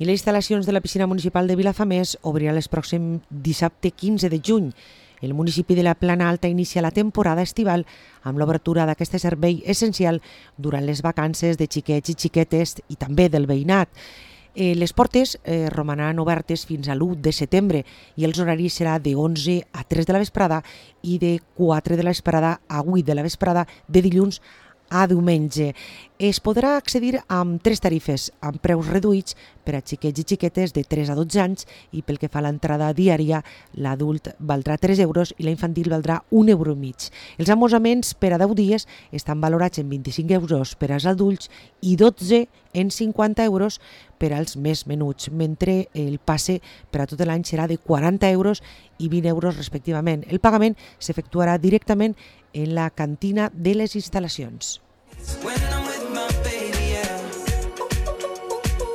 I les instal·lacions de la piscina municipal de Vilafamés obriran el pròxim dissabte 15 de juny. El municipi de la Plana Alta inicia la temporada estival amb l'obertura d'aquest servei essencial durant les vacances de xiquets i xiquetes i també del veïnat. Les portes romanan obertes fins a l'1 de setembre i els horaris serà de 11 a 3 de la vesprada i de 4 de la vesprada a 8 de la vesprada de dilluns a diumenge. Es podrà accedir amb 3 tarifes, amb preus reduïts per a xiquets i xiquetes de 3 a 12 anys i pel que fa a l'entrada diària, l'adult valdrà 3 euros i la infantil valdrà 1,5 €. Els amosaments per a 10 dies estan valorats en 25 euros per als adults i 12 en 50 euros per als més menuts, mentre el passe per a tot l'any serà de 40 euros i 20 euros respectivament. El pagament s'efectuarà directament en la cantina de les instal·lacions.